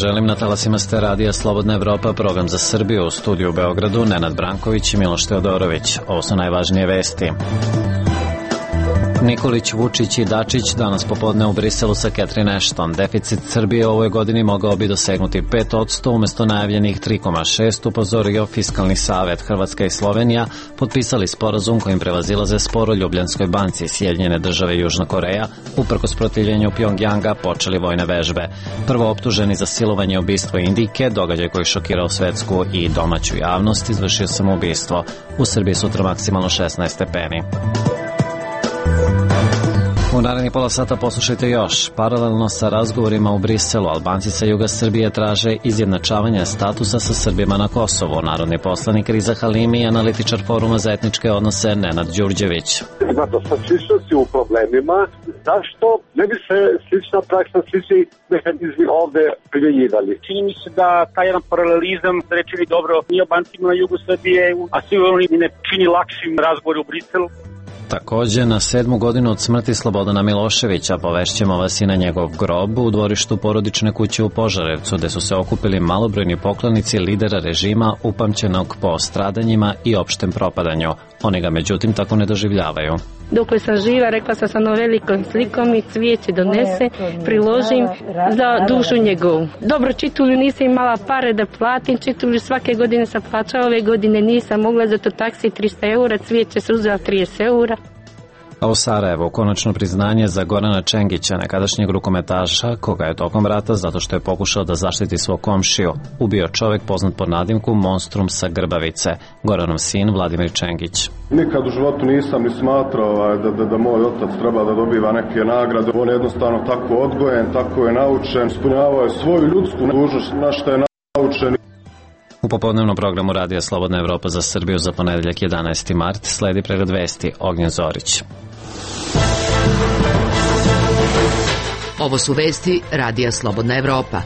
želim, na talasima ste Radija Slobodna Evropa, program za Srbiju, u studiju u Beogradu, Nenad Branković i Miloš Teodorović. Ovo su najvažnije vesti. Nikolić, Vučić i Dačić danas popodne u Briselu sa Catherine Ashton. Deficit Srbije u ovoj godini mogao bi dosegnuti 5% umesto najavljenih 3,6%, upozorio Fiskalni savet. Hrvatska i Slovenija potpisali sporazum kojim prevazilaze spor o Ljubljanskoj banci. Sjedinjene države i Južna Koreja, uprkos protivljenju Pjongjanga, počeli vojne vežbe. Prvo optuženi za silovanje i ubistvo Indijke, događaj koji šokirao svetsku i domaću javnost, izvršio samoubistvo. U Srbiji sutra maksimalno 16 stepeni. U narednih pola sata poslušajte još. Paralelno sa razgovorima u Briselu, Albanci sa juga Srbije traže izjednačavanje statusa sa Srbima na Kosovu. Narodni poslanik Riza Halimi i analitičar Foruma za etničke odnose Nenad Đurđević. Ima dosta sličnosti u problemima. Zašto ne bi se slična praksa, slični mehanizmi ovde primjenjivali? Čini mi se da taj jedan paralelizam rečeni dobro i Albancima na jugu Srbije, a sigurno ne čini lakšim razgovor u Briselu. Takođe, na 7. godinu od smrti Slobodana Miloševića povešćemo vas i na njegov grob u dvorištu porodične kuće u Požarevcu, gde su se okupili malobrojni poklonici lidera režima upamćenog po stradanjima i opštem propadanju. Oni ga međutim tako ne doživljavaju. Dokle sam živa, rekla sam sa velikom slikom i cvijeće donese, priložim za dušu njegovu. Dobro, čitulju nisam imala pare da platim, čitulju svake godine sam plaćala, ove godine nisam mogla, zato taksi 300 eura, cvijeće se uzela 30 eura. A u Sarajevu konačno priznanje za Gorana Čengića, nekadašnjeg rukometaša, koga je tokom rata, zato što je pokušao da zaštiti svog komšiju, ubio čovek poznat pod nadimku Monstrum sa Grbavice, Goranov sin Vladimir Čengić. Nikad u životu nisam ni smatrao da moj otac treba da dobiva neke nagrade. On je jednostavno tako odgojen, tako je naučen, ispunjavao je svoju ljudsku dužnost na što je naučen. U popodnevnom programu Radija Slobodna Evropa za Srbiju za ponedeljak 11. mart sledi pregled vesti. Ognjen Zorić. Ovo su vesti Radija Slobodna Evropa.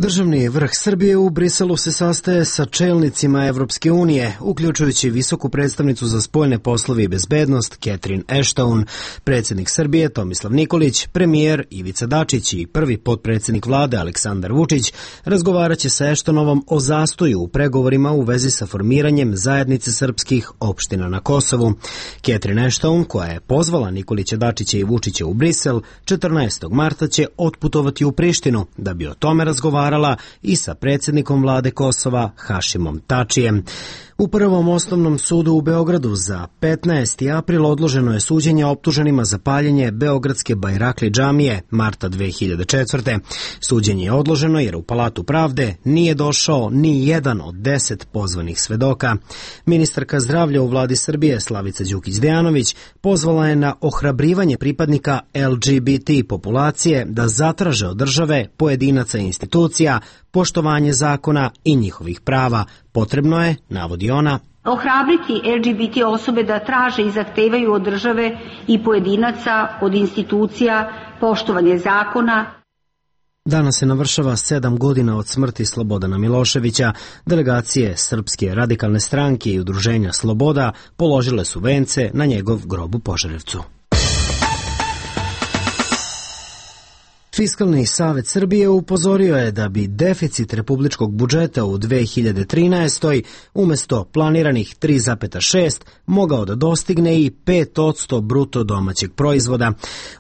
Državni vrh Srbije u Briselu se sastaje sa čelnicima Evropske unije, uključujući visoku predstavnicu za spoljne poslove i bezbednost Catherine Ashton, predsjednik Srbije Tomislav Nikolić, premijer Ivica Dačić i prvi potpredsjednik vlade Aleksandar Vučić razgovaraće sa Ashtonovom o zastoju u pregovorima u vezi sa formiranjem zajednice srpskih opština na Kosovu. Catherine Ashton, koja je pozvala Nikolića, Dačića i Vučića u Brisel, 14. marta će otputovati u Prištinu da bi o tome razgovarala i sa predsjednikom vlade Kosova Hašimom Tačijem. U Prvom osnovnom sudu u Beogradu za 15. april odloženo je suđenje optuženima za paljenje Beogradske Bajrakli džamije marta 2004. Suđenje je odloženo jer u Palatu pravde nije došao ni jedan od 10 pozvanih svedoka. Ministarka zdravlja u vladi Srbije Slavica Đukić-Dejanović pozvala je na ohrabrivanje pripadnika LGBT populacije da zatraže od države, pojedinaca i institucija poštovanje zakona i njihovih prava. Potrebno je, navodi ona, ohrabriti LGBT osobe da traže i zahtevaju od države i pojedinaca, od institucija, poštovanje zakona. Danas se navršava 7 godina od smrti Slobodana Miloševića. Delegacije Srpske radikalne stranke i udruženja Sloboda položile su vence na njegov grob u Požarevcu. Fiskalni savet Srbije upozorio je da bi deficit republičkog budžeta u 2013. umjesto planiranih 3,6 mogao da dostigne i 5% bruto domaćeg proizvoda.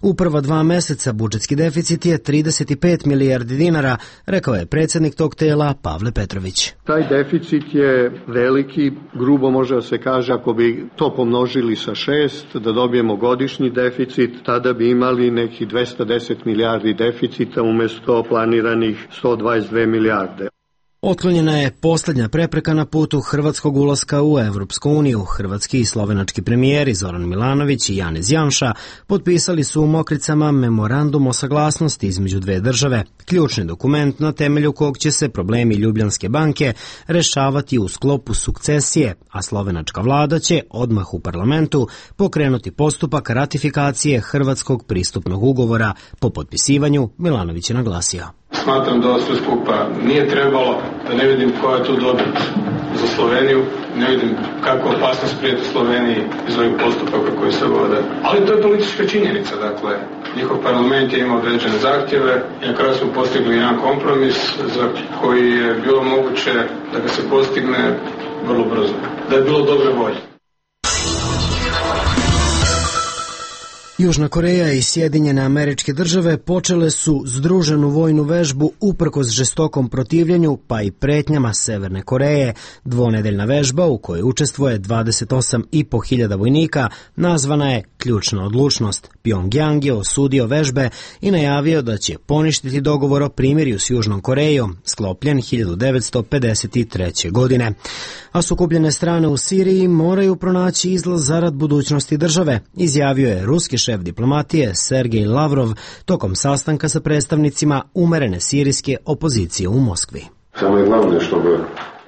U prva 2 meseca budžetski deficit je 35 milijardi dinara, rekao je predsjednik tog tela Pavle Petrović. Taj deficit je veliki, grubo može da se kaže, ako bi to pomnožili sa 6, da dobijemo godišnji deficit, tada bi imali neki 210 milijardi deficita umjesto planiranih 122 milijarde. Otklonjena je posljednja prepreka na putu hrvatskog ulaska u Evropsku uniju. Hrvatski i slovenački premijeri Zoran Milanović i Janez Janša potpisali su u Mokricama memorandum o saglasnosti između dve države, ključni dokument na temelju kog će se problemi Ljubljanske banke rešavati u sklopu sukcesije, a slovenačka vlada će odmah u parlamentu pokrenuti postupak ratifikacije hrvatskog pristupnog ugovora. Po potpisivanju Milanović je naglasio. Smatram da ovo sve skupa nije trebalo, da ne vidim koja je tu dobit za Sloveniju, ne vidim kakva opasnost prijeti Sloveniji iz ovih postupaka koji se vode. Ali to je politička činjenica, dakle, njihov parlament je imao određene zahtjeve i na kraju smo postigli jedan kompromis za koji je bilo moguće da ga se postigne vrlo brzo, da je bilo dobre volje. Južna Koreja i Sjedinjene Američke Države počele su združenu vojnu vežbu uprkos žestokom protivljenju pa i pretnjama Severne Koreje. Dvonedeljna vežba u kojoj učestvuje 28.500 vojnika nazvana je Ključna odlučnost. Pjongjang je osudio vežbe i najavio da će poništiti dogovor o primirju s Južnom Korejom, sklopljen 1953. godine. A sukobljene strane u Siriji moraju pronaći izlaz zarad budućnosti države, izjavio je ruski šef diplomatije Sergej Lavrov tokom sastanka sa predstavnicima umerene sirijske opozicije u Moskvi.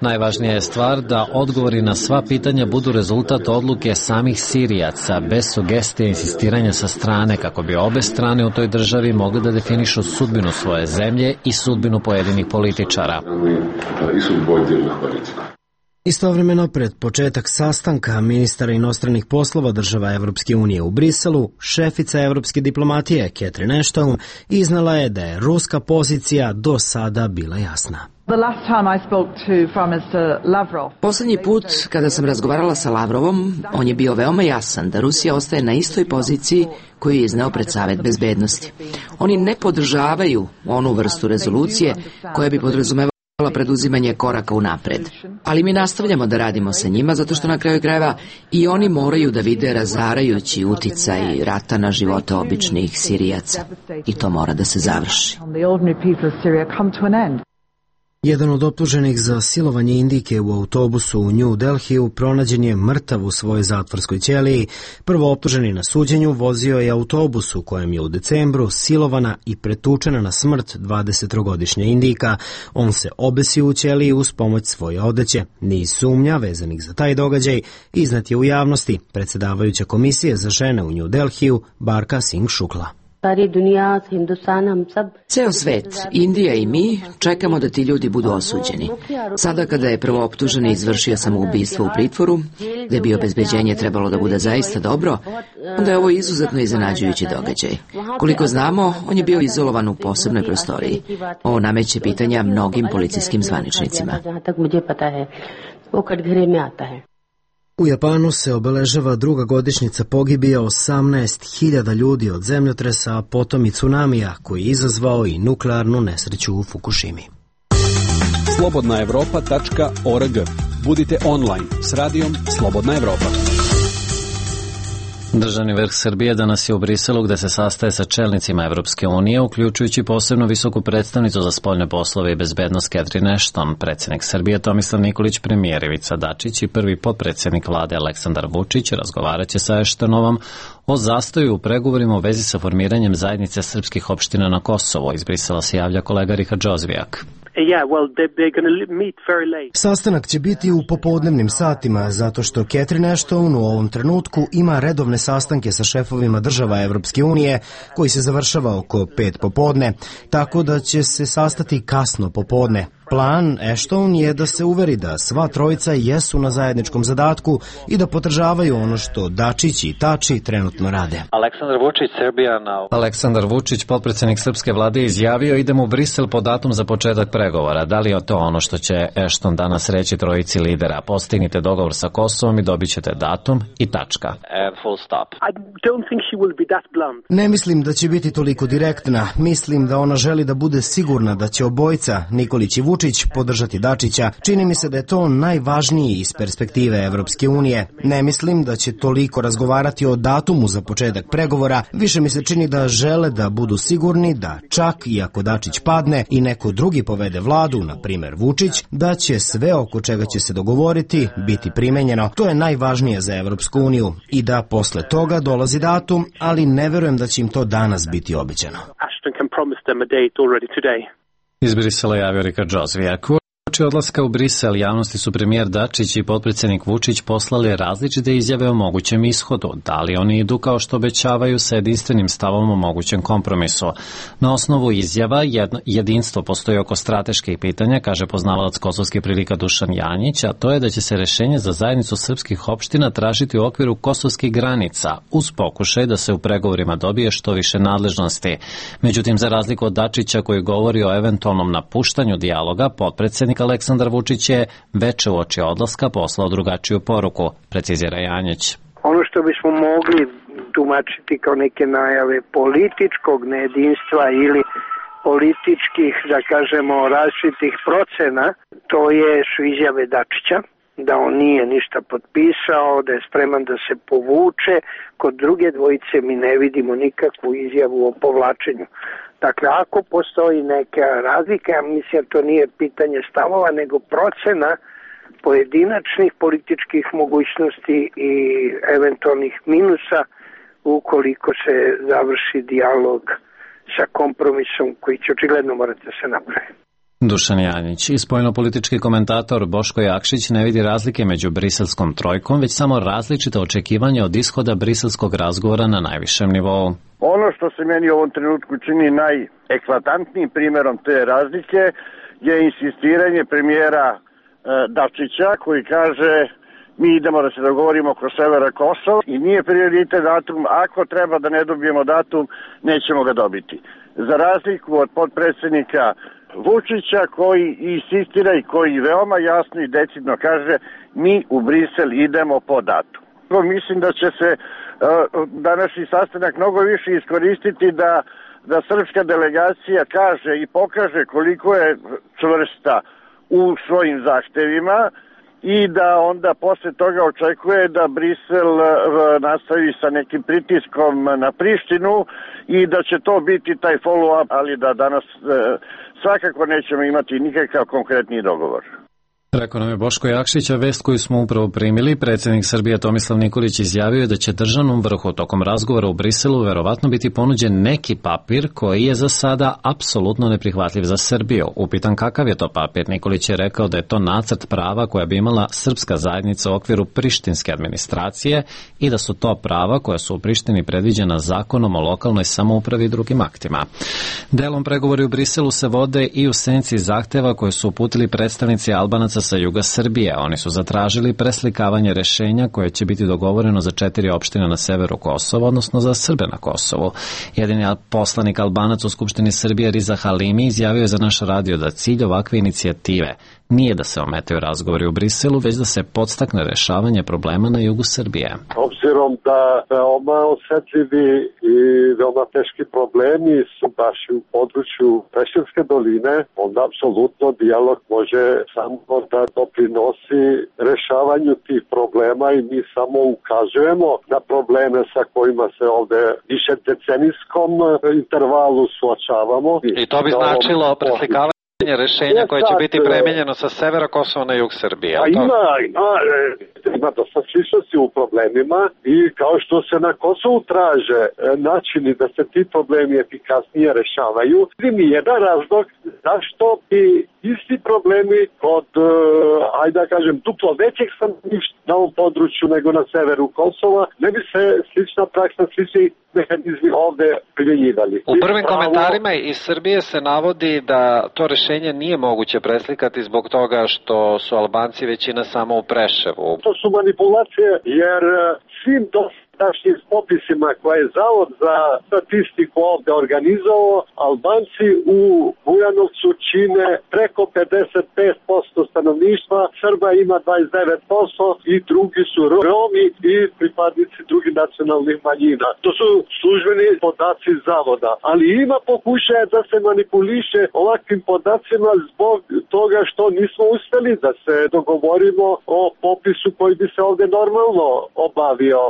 Najvažnija je stvar da odgovori na sva pitanja budu rezultat odluke samih Sirijaca, bez sugestije i insistiranja sa strane, kako bi obe strane u toj državi mogle da definišu sudbinu svoje zemlje i sudbinu pojedinih političara. Istovremeno, pred početak sastanka ministara inostranih poslova država Evropske unije u Briselu, šefica evropske diplomatije Catherine Ashton iznala je da je ruska pozicija do sada bila jasna. Poslednji put kada sam razgovarala sa Lavrovom, on je bio veoma jasan da Rusija ostaje na istoj poziciji koju je izneo pred Savet bezbednosti. Oni ne podržavaju onu vrstu rezolucije koja bi podrazumevala preduzimanje koraka unapred. Ali mi nastavljamo da radimo sa njima zato što na kraju krajeva i oni moraju da vide razarajući uticaj rata na živote običnih Sirijaca. I to mora da se završi. Jedan od optuženih za silovanje Indijke u autobusu u New Delhiju pronađen je mrtav u svojoj zatvorskoj ćeliji. Prvo optuženi na suđenju vozio je autobus u kojem je u decembru silovana i pretučena na smrt 23-godišnja Indijka. On se obesio u ćeliji uz pomoć svoje odeće. Niz sumnja vezanih za taj događaj iznat je u javnosti. Predsjedavajuća komisije za žene u New Delhiju Barka Singh Shukla. Ceo svet, Indija i mi, čekamo da ti ljudi budu osuđeni. Sada kada je prvooptuženi izvršio samoubistvo u pritvoru, gde bi obezbeđenje trebalo da bude zaista dobro, onda je ovo izuzetno iznenađujući događaj. Koliko znamo, on je bio izolovan u posebnoj prostoriji. Ovo nameće pitanja mnogim policijskim zvaničnicima. U Japanu se obeležava druga godišnjica pogibije 18.000 ljudi od zemljotresa, a potom i tsunamija koji je izazvao i nuklearnu nesreću u Fukushimi. slobodnaevropa.org. Budite online s radijom Slobodna Evropa. Državni vrh Srbije danas je u Briselu gde se sastaje sa čelnicima Evropske unije, uključujući posebno visoku predstavnicu za spoljne poslove i bezbednost Catherine Ashton, predsjednik Srbije Tomislav Nikolić, premijer Ivica Dačić i prvi potpredsjednik vlade Aleksandar Vučić razgovaraće sa Ashtonovom o zastoju u pregovorima u vezi sa formiranjem zajednice srpskih opština na Kosovo. Iz Brisela se javlja kolega Richard Džozvijak. Sastanak će biti u popodnevnim satima, zato što Catherine Ashton u ovom trenutku ima redovne sastanke sa šefovima država Evropske unije, koji se završava oko 5 popodne, tako da će se sastati kasno popodne. Plan Ashton je da se uveri da sva trojica jesu na zajedničkom zadatku i da podržavaju ono što Dačić i Tači trenutno rade. Aleksandar Vučić, potpredsjednik srpske vlade, izjavio idemo u Brisel po datum za početak pregovora. Da li je to ono što će Ashton danas reći trojici lidera? Postignite dogovor sa Kosovom i dobit ćete datum i tačka. Ne mislim da će biti toliko direktna. Mislim da ona želi da bude sigurna da će obojica, Nikolić i Vučić, podržati Dačića. Čini mi se da je to najvažniji iz perspektive Evropske unije. Ne mislim da će toliko razgovarati o datumu za početak pregovora. Više mi se čini da žele da budu sigurni da čak i ako Dačić padne i neko drugi povede vladu, na primer Vučić, da će sve oko čega će se dogovoriti biti primenjeno. To je najvažnije za Evropsku uniju i da posle toga dolazi datum, ali ne verujem da će im to danas biti obećano. Iz Brisela javio Richard Džozvijak. Uoči odlaska u Brisel, javnosti su premijer Dačić i potpredsjednik Vučić poslali različite izjave o mogućem ishodu. Da li oni idu kao što obećavaju sa jedinstvenim stavom o mogućem kompromisu? Na osnovu izjava jedinstvo postoji oko strateških pitanja, kaže poznavalac kosovskih prilika Dušan Janjić, a to je da će se rešenje za zajednicu srpskih opština tražiti u okviru kosovskih granica, uz pokušaj da se u pregovorima dobije što više nadležnosti. Međutim, za razliku od Dačića koji govori o eventualnom napuštanju dijaloga, potpredsjednik Aleksandar Vučić je veče uoči odlaska poslao drugačiju poruku, precizira Janjić. Ono što bismo mogli tumačiti kao neke najave političkog nejedinstva ili političkih, da kažemo, različitih procena, to su izjave Dačića, da on nije ništa potpisao, da je spreman da se povuče. Kod druge dvojice mi ne vidimo nikakvu izjavu o povlačenju. Dakle, ako postoji neka razlika, ja mislim to nije pitanje stavova, nego procena pojedinačnih političkih mogućnosti i eventualnih minusa ukoliko se završi dijalog sa kompromisom koji će očigledno morati da se napravi. Dušan Janjić i spoljnopolitički komentator Boško Jakšić ne vidi razlike među briselskom trojkom, već samo različite očekivanja od ishoda briselskog razgovora na najvišem nivou. Ono što se meni u ovom trenutku čini najeklatantnijim primjerom te razlike je insistiranje premijera Dačića koji kaže mi idemo da se dogovorimo oko severa Kosova i nije prioritet datum, ako treba da ne dobijemo datum, nećemo ga dobiti. Za razliku od potpredsjednika Vučića koji insistira i koji veoma jasno i decidno kaže mi u Brisel idemo po datum. Mislim da će se današnji sastanak mnogo više iskoristiti da srpska delegacija kaže i pokaže koliko je čvrsta u svojim zahtevima i da onda posle toga očekuje da Brisel nastavi sa nekim pritiskom na Prištinu i da će to biti taj follow-up, ali da danas svakako nećemo imati nikakav konkretni dogovor. Rekao nam je Boško Jakšić, a vest koju smo upravo primili, predsjednik Srbije Tomislav Nikolić izjavio je da će državnom vrhu tokom razgovora u Briselu verovatno biti ponuđen neki papir koji je za sada apsolutno neprihvatljiv za Srbiju. Upitan kakav je to papir, Nikolić je rekao da je to nacrt prava koja bi imala srpska zajednica u okviru prištinske administracije i da su to prava koja su u Prištini predviđena zakonom o lokalnoj samoupravi i drugim aktima. Delom pregovori u Briselu se vode i u senci zahteva koje su uputili predstavnici Albanaca sa juga Srbije. Oni su zatražili preslikavanje rešenja koje će biti dogovoreno za 4 opštine na severu Kosova, odnosno za Srbe na Kosovu. Jedini poslanik Albanac u Skupštini Srbije Riza Halimi izjavio je za naš radio da cilj ovakve inicijative nije da se ometaju razgovori u Briselu, već da se podstakne rešavanje problema na jugu Srbije. Obzirom da veoma osetljivi i veoma teški problemi su baš u području Preševske doline, onda apsolutno dijalog može samo da doprinosi rešavanju tih problema i mi samo ukazujemo na probleme sa kojima se ovde više decenijskom intervalu suočavamo. I to bi značilo preslikavanje rešenja koje će biti premenjeno sa severa Kosova na jug Srbije. Ima dosta sličnosti u problemima i kao što se na Kosovu traže načini da se ti problemi efikasnije rešavaju, mi je jedan razlog zašto bi isti problemi kod, ajde da kažem, duplo većeg stanovništva na ovom području nego na severu Kosova, ne bi se slična praksa, slični mehanizmi ovde primjenjivali. U prvim komentarima iz Srbije se navodi da to rešenje nije moguće preslikati zbog toga što su Albanci većina samo u Preševu. To su manipulacije jer svim dosadašnjim popisima koje je Zavod za statistiku ovde organizovao, Albanci u Bujanovcu čine preko 55% stanovništva, Srba ima 29% i drugi su Romi i pripadnici drugih nacionalnih manjina. To su službeni podaci Zavoda, ali ima pokušaja da se manipuliše ovakvim podacima zbog toga što nismo uspeli da se dogovorimo o popisu koji bi se ovde normalno obavio.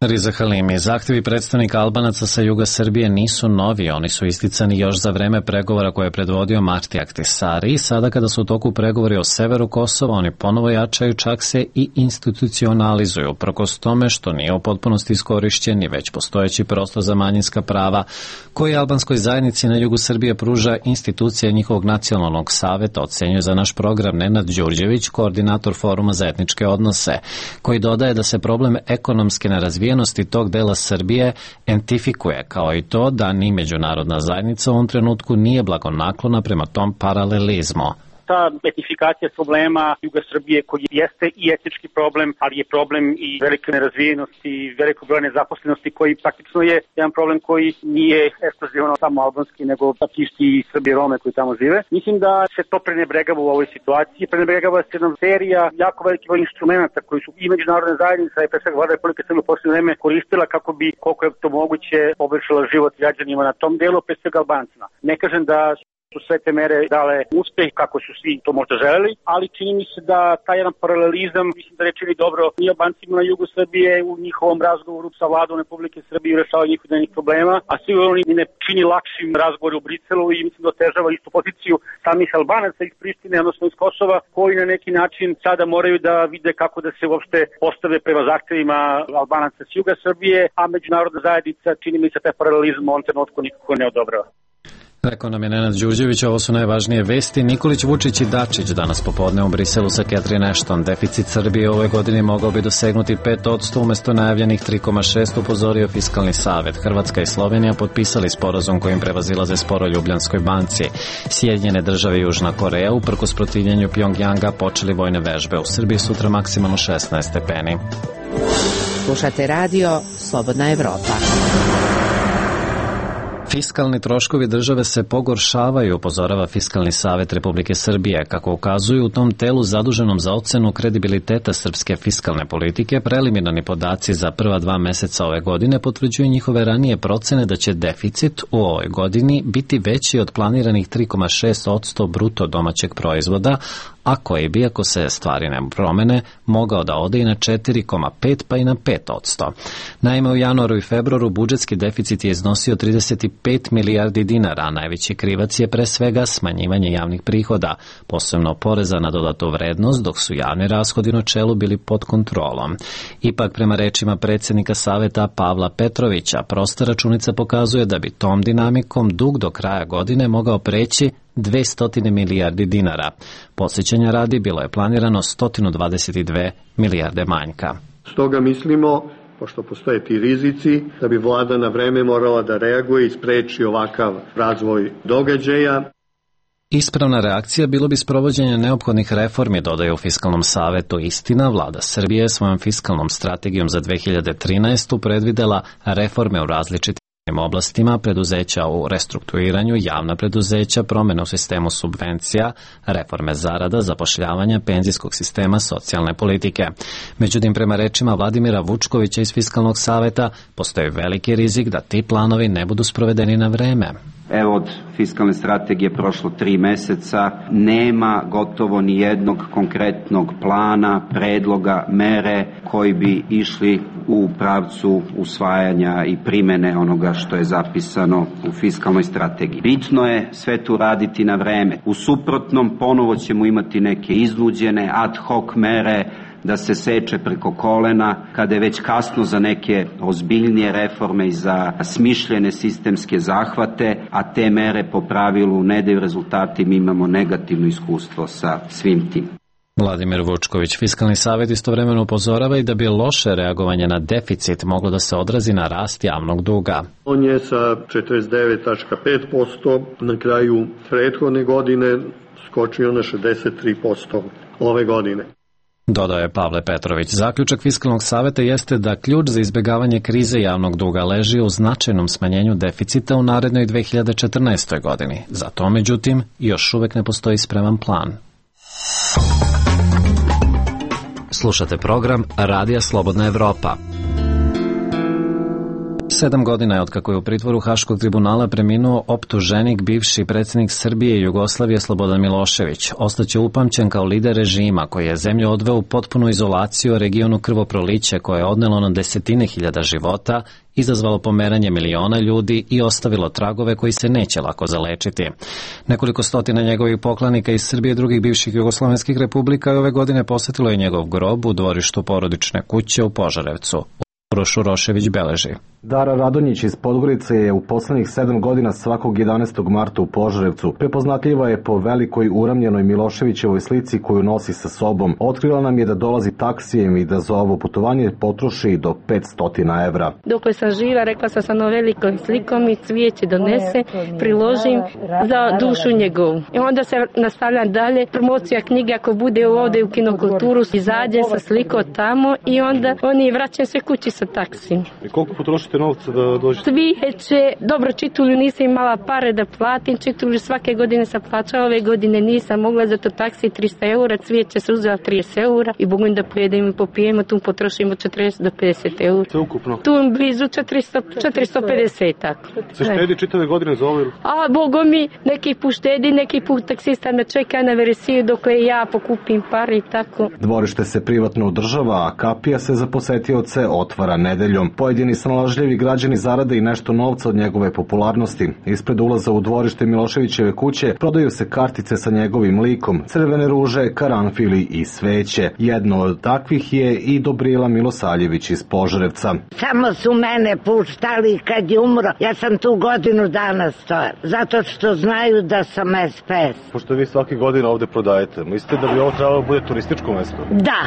Riza Halimi, zahtjevi predstavnika Albanaca sa juga Srbije nisu novi, oni su isticani još za vreme pregovora koje je predvodio Marti Ahtisari i sada kada su u toku pregovori o severu Kosova, oni ponovo jačaju, čak se i institucionalizuju, prkos tome što nije u potpunosti iskorišćen i već postojeći prostor za manjinska prava koji albanskoj zajednici na jugu Srbije pruža institucija njihovog nacionalnog saveta, ocenjuje za naš program Nenad Đurđević, koordinator Foruma za etničke odnose, koji dodaje da se problem ekonomske nerazvijenosti tog dela Srbije entifikuje, kao i to da ni međunarodna zajednica u ovom trenutku nije blagonaklona prema tom paralelizmu. Ta etnifikacija problema juga Srbije koji jeste i etnički problem, ali je problem i velike nerazvijenosti, veliko broja nezaposlenosti koji praktično je jedan problem koji nije ekskluzivan samo albanski, nego praktički i Srbi i Rome koji tamo žive. Mislim da se to prenebregava u ovoj situaciji. Prenebregava se jedna serija jako veliki broj instrumenta koji su i međunarodne zajednice i pre svega Vlada Republike Srbije u poslednje vreme koristila kako bi, koliko je to moguće, poboljšala život građanima na tom delu, pre svega Albancima. Ne kažem da su sve te mere dale uspeh kako su svi to možda želeli, ali čini mi se da taj jedan paralelizam, mislim da rečili dobro i Albancima na jugu Srbije u njihovom razgovoru sa Vladom Republike Srbije u rešavanju njihovih problema, a svi oni ne čini lakšim razgovor u Briselu i mislim da otežava istu poziciju samih Albanaca iz Prištine, odnosno iz Kosova, koji na neki način sada moraju da vide kako da se uopšte postave prema zahtevima Albanaca s juga Srbije, a međunarodna zajednica, čini mi se, taj paralelizam u ovom trenutku nikako ne odobrava. Rekao nam je Nenad Đurđević, ovo su najvažnije vesti. Nikolić, Vučić i Dačić danas popodne u Briselu sa Catherine Ashton. Deficit Srbije ove godine mogao bi dosegnuti 5% umesto najavljenih 3,6%, upozorio Fiskalni savet. Hrvatska i Slovenija potpisali sporazum kojim prevazilaze sporo Ljubljanskoj banci. Sjedinjene države i Južna Koreja uprkos protivljenju Pjongjanga počeli vojne vežbe. U Srbiji sutra maksimalno 16 stepeni. Slušate radio Slobodna Evropa. Fiskalni troškovi države se pogoršavaju, upozorava Fiskalni savet Republike Srbije. Kako ukazuju u tom telu zaduženom za ocenu kredibiliteta srpske fiskalne politike, preliminarni podaci za prva 2 meseca ove godine potvrđuju njihove ranije procene da će deficit u ovoj godini biti veći od planiranih 3,6% bruto domaćeg proizvoda, a koji bi, ako se stvari ne promene, mogao da ode i na 4,5 pa i na 5%. Naime, u januaru i februaru budžetski deficit je iznosio 35 milijardi dinara, a najveći krivac je pre svega smanjivanje javnih prihoda, posebno poreza na dodatu vrednost, dok su javni rashodi u načelu bili pod kontrolom. Ipak, prema rečima predsjednika saveta Pavla Petrovića, prosta računica pokazuje da bi tom dinamikom dug do kraja godine mogao preći 200 milijardi dinara. Podsjećanja radi bilo je planirano 122 milijarde manjka. Stoga mislimo, pošto postoje ti rizici, da bi vlada na vreme morala da reaguje i spreči ovakav razvoj događaja. Ispravna reakcija bilo bi sprovođenje neophodnih reformi, dodaju u Fiskalnom savetu. Istina, vlada Srbije svojom fiskalnom strategijom za 2013. predvidela reforme u različitim oblastima, preduzeća u restrukturiranju, javna preduzeća, promene u sistemu subvencija, reforme zarada, zapošljavanja, penzijskog sistema, socijalne politike. Međutim, prema rečima Vladimira Vučkovića iz Fiskalnog saveta, postoji veliki rizik da ti planovi ne budu sprovedeni na vreme. Evo, od fiskalne strategije prošlo 3 meseca, nema gotovo ni jednog konkretnog plana, predloga, mere koji bi išli u pravcu usvajanja i primene onoga što je zapisano u fiskalnoj strategiji. Bitno je sve tu raditi na vreme. U suprotnom, ponovo ćemo imati neke iznuđene ad hoc mere da se seče preko kolena kada je već kasno za neke ozbiljnije reforme i za smišljene sistemske zahvate, a te mere po pravilu ne daju rezultati, mi imamo negativno iskustvo sa svim tim. Vladimir Vučković. Fiskalni savet istovremeno upozorava i da bi loše reagovanje na deficit moglo da se odrazi na rast javnog duga. On je sa 49,5% na kraju prethodne godine skočio na 63% ove godine. Dodao je Pavle Petrović. Zaključak Fiskalnog saveta jeste da ključ za izbjegavanje krize javnog duga leži u značajnom smanjenju deficita u narednoj 2014. godini. Za to, međutim, još uvek ne postoji spreman plan. Slušate program Radija Slobodna Evropa. 7 godina je otkako je u pritvoru Haškog tribunala preminuo optuženik, bivši predsjednik Srbije i Jugoslavije Slobodan Milošević. Ostaće upamćen kao lider režima koji je zemlju odveo u potpunu izolaciju, regionu krvoproliće koje je odnelo na desetine hiljada života, izazvalo pomeranje miliona ljudi i ostavilo tragove koji se neće lako zalečiti. Nekoliko stotina njegovih poklanika iz Srbije i drugih bivših jugoslovenskih republika ove godine posetilo je njegov grob u dvorištu porodične kuće u Požarevcu. Uroš Urošević beleži. Dara Radonjić iz Podgorice je u poslednjih 7 godina svakog 11. marta u Požarevcu. Prepoznatljiva je po velikoj uramljenoj Miloševićevoj slici koju nosi sa sobom. Otkrila nam je da dolazi taksijem i da za ovo putovanje potroši do 500 evra. Dok sam živa, rekla sam sa velikom slikom i cvijeće donese, priložim za dušu njegovu. I onda se nastavljam dalje, promocija knjige ako bude ovde u Kinokulturu, izađem sa slikom tamo i onda oni vraćam se kući sa taksijem. I koliko potrošite novca da dođete? Cvijeće, dobro čitulju, nisam imala pare da platim, čitulju svake godine sam plaćala, ove godine nisam mogla, zato taksi 300 eura, cvijeće se uzela 30 eura i Bogom da pojedemo i popijemo, tu potrošimo 40 do 50 eura. Sve ukupno? Tu blizu 450, tako. Se štedi čitave godine za ovo? A Bogom mi, neki put štedi, neki put taksista me čeka na veresiju dok ja pokupim pare i tako. Dvorište se privatno održava, a kapija se za posetioce otvara nedeljom. Pojedini snalažljivi građani zarade i nešto novca od njegove popularnosti. Ispred ulaza u dvorište Miloševićeve kuće prodaju se kartice sa njegovim likom, crvene ruže, karanfili i sveće. Jedno od takvih je i Dobrila Milosaljević iz Požarevca. Samo su mene puštali kad je umro. Ja sam tu godinu dana stojala, zato što znaju da sam SPS. Pošto vi svaki godina ovde prodajete, mislite da bi ovo trebalo da bude turističko mesto? Da.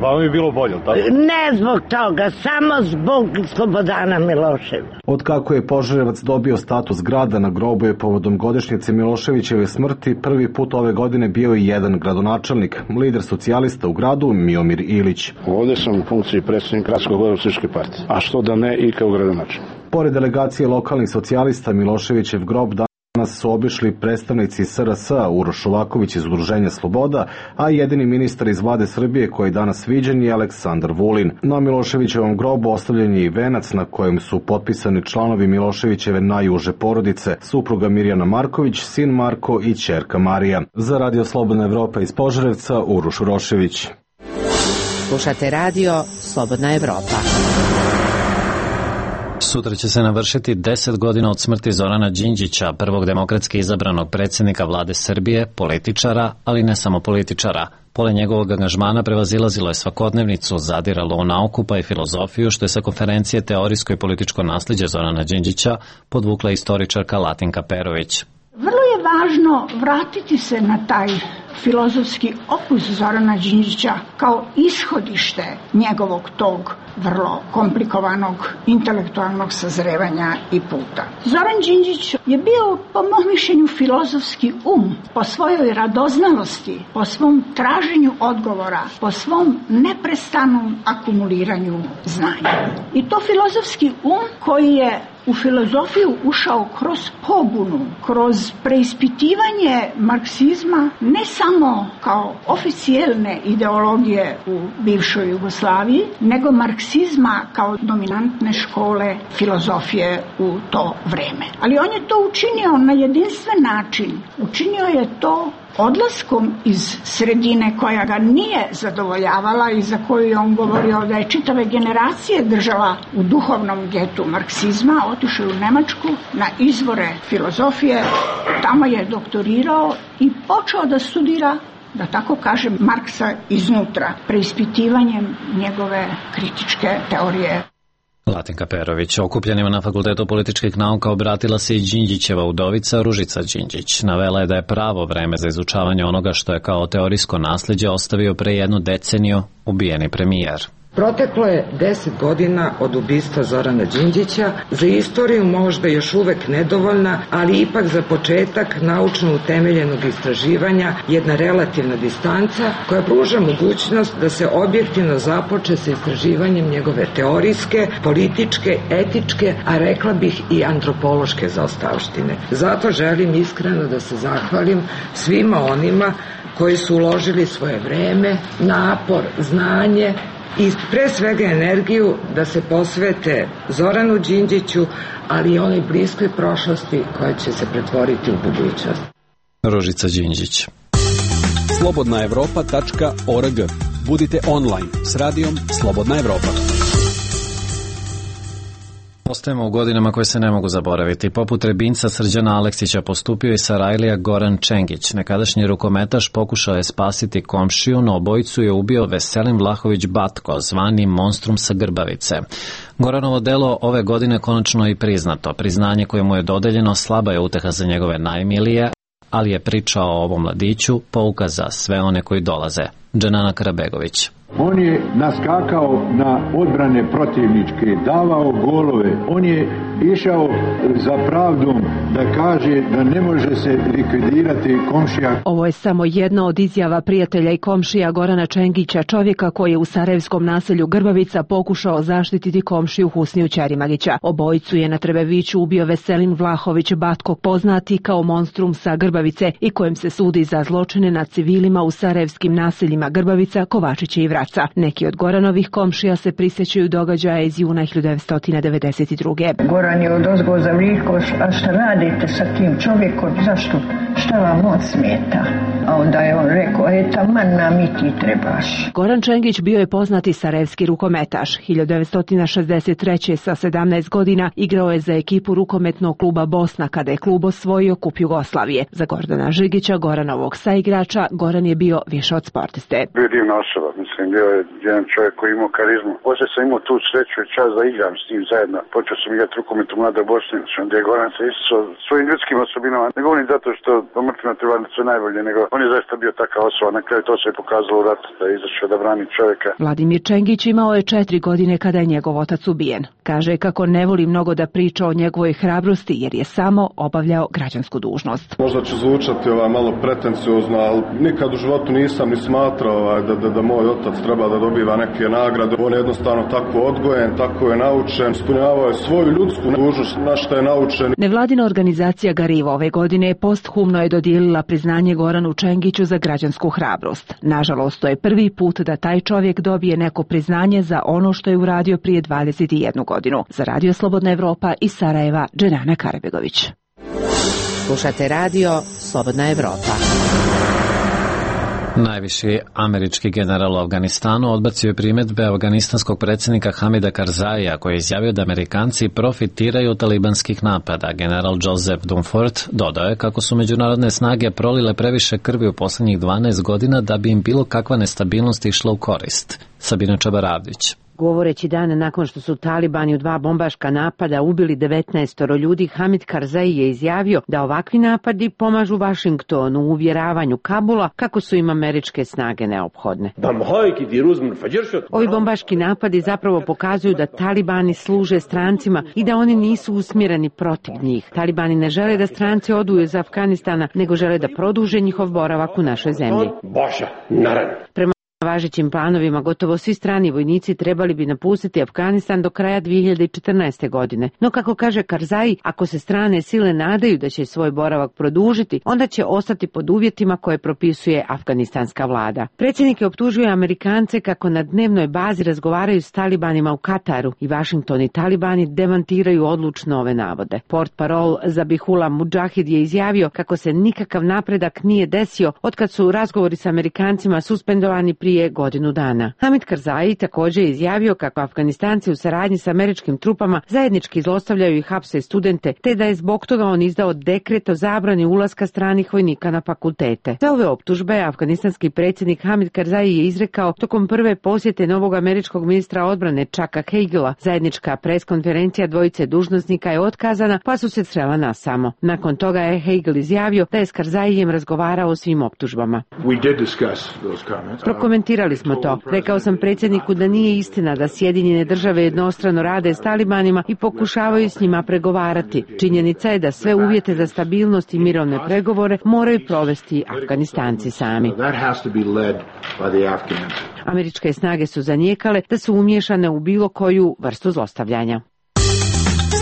Vama bi bilo bolje, tako? Ne zbog toga, samo zbog Slobodana Miloševića. Od kako je Požarevac dobio status grada, na grobu je povodom godišnjice Miloševićeve smrti prvi put ove godine bio i jedan gradonačelnik, lider socijalista u gradu Miomir Ilić. Ovde sam u funkciji predsjednika Gradsko-Gorovciške partije, a što da ne i kao gradonačelnik. Pored delegacije lokalnih socijalista, Miloševićev grob danas su obišli predstavnici SRS, Uroš Šovaković iz Udruženja Sloboda, a jedini ministar iz vlade Srbije koji je danas viđen je Aleksandar Vulin. Na Miloševićevom grobu ostavljen je i venac na kojem su potpisani članovi Miloševićeve najuže porodice, supruga Mirjana Marković, sin Marko i ćerka Marija. Za Radio Slobodna Evropa iz Požarevca, Uroš Urošević. Slušate radio Slobodna Evropa. Sutra će se navršiti 10 godina od smrti Zorana Đinđića, prvog demokratski izabranog predsjednika vlade Srbije, političara, ali ne samo političara. Pole njegovog angažmana prevazilazilo je svakodnevnicu, zadiralo u nauku pa i filozofiju, što je sa konferencije Teorijsko i političko naslijeđe Zorana Đinđića podvukla istoričarka Latinka Perović. Vrlo je važno vratiti se na taj filozofski opus Zorana Đinđića kao ishodište njegovog tog vrlo komplikovanog intelektualnog sazrevanja i puta. Zoran Đinđić je bio, po mom mišljenju, filozofski po svojoj radoznalosti, po svom traženju odgovora, po svom neprestanom akumuliranju znanja. I to filozofski koji je u filozofiju ušao kroz pobunu, kroz preispitivanje marksizma, ne samo kao oficijelne ideologije u bivšoj Jugoslaviji, nego marksizma kao dominantne škole filozofije u to vreme. Ali on je to učinio na jedinstven način. Učinio je to odlaskom iz sredine koja ga nije zadovoljavala i za koju je on govorio da je čitave generacije držala u duhovnom getu marksizma, otišao u Nemačku na izvore filozofije, tamo je doktorirao i počeo da studira, da tako kažem, Marksa iznutra, preispitivanjem njegove kritičke teorije. Latinka Perović. Okupljenima na Fakultetu političkih nauka obratila se i Đinđićeva udovica Ružica Đinđić. Navela je da je pravo vreme za izučavanje onoga što je kao teorijsko naslijeđe ostavio pre 1 deceniju ubijeni premijer. Proteklo je 10 godina od ubistva Zorana Đinđića, za istoriju možda još uvek nedovoljna, ali ipak za početak naučno utemeljenog istraživanja jedna relativna distanca koja pruža mogućnost da se objektivno započe sa istraživanjem njegove teorijske, političke, etičke, a rekla bih i antropološke zaostavštine. Zato želim iskreno da se zahvalim svima onima koji su uložili svoje vreme, napor, znanje, i pre svega energiju da se posvete Zoranu Đinđiću, ali i onoj bliskoj prošlosti koja će se pretvoriti u budućnost. Ružica Đinđić. slobodnaevropa.org. Budite online s radijom Slobodna Evropa. Ostajemo u godinama koje se ne mogu zaboraviti. Poput Rebinca Srđana Aleksića postupio i Sarajlija Goran Čengić. Nekadašnji rukometaš pokušao je spasiti komšiju, no obojicu je ubio Veselin Vlahović Batko, zvani Monstrum sa Grbavice. Goranovo delo ove godine konačno je i priznato. Priznanje koje mu je dodeljeno slaba je uteha za njegove najmilije, ali je priča o ovom mladiću pouka za sve one koji dolaze. Dženana Karabegović. On je naskakao na odbrane protivničke, davao golove, on je išao za pravdom da kaže da ne može se likvidirati komšija. Ovo je samo jedna od izjava prijatelja i komšija Gorana Čengića, čovjeka koji je u sarajevskom naselju Grbavica pokušao zaštititi komšiju Husniju Ćerimagića. Obojicu je na Trebeviću ubio Veselin Vlahović Batko, poznati kao Monstrum sa Grbavice i kojem se sudi za zločine nad civilima u sarajevskim naseljima Grbavica, Kovačića i Vraca. Neki od Goranovih komšija se prisjećaju događaja iz juna 1992. Goran je odozgo zavlikao, a šta radite sa tim čovjekom, zašto, šta vam on smeta? A onda je on rekao, taman nam i ti trebaš. Goran Čengić bio je poznati sarajevski rukometaš. 1963. sa 17 godina igrao je za ekipu rukometnog kluba Bosna kada je klub osvojio Kup Jugoslavije. Za Gordana Žigića, Goranovog saigrača, Goran je bio više od sportiste. Bio je divna osoba, mislim, bio je jedan čovjek koji imao karizmu. Poslije sam imao tu sreću i čast da igram s njim zajedno. Počeo sam igrati rukomet u Mladoj Bosni, onda je Goran se isticao svojim ljudskim osobinama. Ne govorim zato što pomrtvima treba sve najbolje, nego on je zaista bio takav osoba. Na kraju to se je pokazalo u ratu da je izašao da brani čovjeka. Vladimir Čengić imao je 4 godine kada je njegov otac ubijen. Kaže kako ne voli mnogo da priča o njegovoj hrabrosti jer je samo obavljao građansku dužnost. Možda će zvučati malo pretenciozno, ali nikad u životu nisam ni smatrao da moj otac treba da dobiva neke nagrade. On je jednostavno tako odgojen, tako je naučen, ispunjavao je svoju ljudsku dužnost na što je naučen. Nevladina organizacija Gariva ove godine posthumno je dodijelila priznanje Goranu Čengiću za građansku hrabrost. Nažalost, to je prvi put da taj čovjek dobije neko priznanje za ono što je uradio prije 21 godinu. Za Radio Slobodna Evropa iz Sarajeva, Dženana Karabegović. Slušate radio Slobodna Evropa. Najviši američki general u Afganistanu odbacio je primjedbe afganistanskog predsjednika Hamida Karzaija koji je izjavio da Amerikanci profitiraju od talibanskih napada. General Joseph Dunford dodao je kako su međunarodne snage prolile previše krvi u posljednjih 12 godina da bi im bilo kakva nestabilnost išla u korist. Sabina Čabaravdić. Govoreći dan nakon što su talibani u 2 bombaška napada ubili 19 ljudi, Hamid Karzai je izjavio da ovakvi napadi pomažu Vašingtonu u uvjeravanju Kabula kako su im američke snage neophodne. Ovi bombaški napadi zapravo pokazuju da talibani služe strancima i da oni nisu usmjereni protiv njih. Talibani ne žele da stranci odu iz Afganistana, nego žele da produže njihov boravak u našoj zemlji. Prema važećim planovima, gotovo svi strani vojnici trebali bi napustiti Afganistan do kraja 2014. godine. No, kako kaže Karzai, ako se strane sile nadaju da će svoj boravak produžiti, onda će ostati pod uvjetima koje propisuje afganistanska vlada. Predsjednik je optužio Amerikance kako na dnevnoj bazi razgovaraju s talibanima u Kataru i Washington i talibani demantiraju odlučno ove navode. Portparol Zabihullah Mudžahid je izjavio kako se nikakav napredak nije desio otkad su razgovori s Amerikancima suspendovani prije godinu dana. Hamid Karzai također je izjavio kako Afganistanci u saradnji s američkim trupama zajednički zlostavljaju i hapse studente, te da je zbog toga on izdao dekret o zabrani ulaska stranih vojnika na fakultete. Za ove optužbe afganistanski predsjednik Hamid Karzai je izrekao tokom prve posjete novog američkog ministra odbrane Chucka Hagela. Zajednička preskonferencija dvojice dužnosnika je otkazana, pa su se srela nasamo. Nakon toga je Hagel izjavio da je s Karzaijem razgovarao o svim optužbama. Prokomentirali smo to. Rekao sam predsjedniku da nije istina da Sjedinjene države jednostrano rade s talibanima i pokušavaju s njima pregovarati. Činjenica je da sve uvjete za stabilnost i mirovne pregovore moraju provesti Afganistanci sami. Američke snage su zanijekale da su umiješane u bilo koju vrstu zlostavljanja.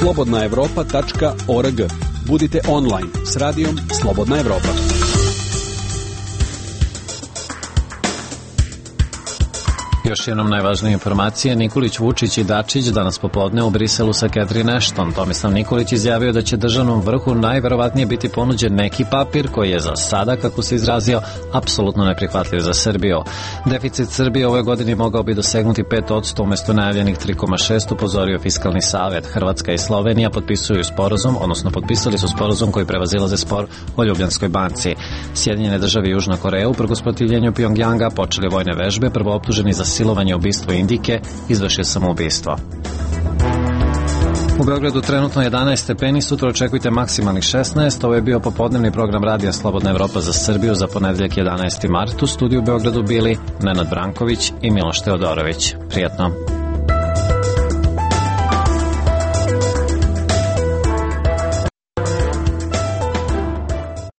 slobodnaevropa.org. Budite online s radijom Slobodna Evropa. Još jednom najvažnije informacije, Nikolić, Vučić i Dačić danas popodne u Briselu sa Catherine Ashton. Tomislav Nikolić izjavio da će državnom vrhu najverovatnije biti ponuđen neki papir koji je za sada, kako se izrazio, apsolutno neprihvatljiv za Srbiju. Deficit Srbije ove godini mogao bi dosegnuti 5% umesto najavljenih 3,6%, upozorio Fiskalni savet. Hrvatska i Slovenija potpisali su sporazum koji prevazilaze spor o Ljubljanskoj banci. Sjedinjene države i Južna Koreja uprkos protivljenju Pjongjanga počeli vojne vežbe, prvo optuženi za silovanje, ubistvo Indike, izvršio samoubistvo. U Beogradu trenutno 11 stepeni, sutra očekujte maksimalnih 16. Ovo je bio popodnevni program radija Slobodna Evropa za Srbiju za ponedeljak 11. mart. U studiju u Beogradu bili Nenad Branković i Miloš Teodorović. Prijatno.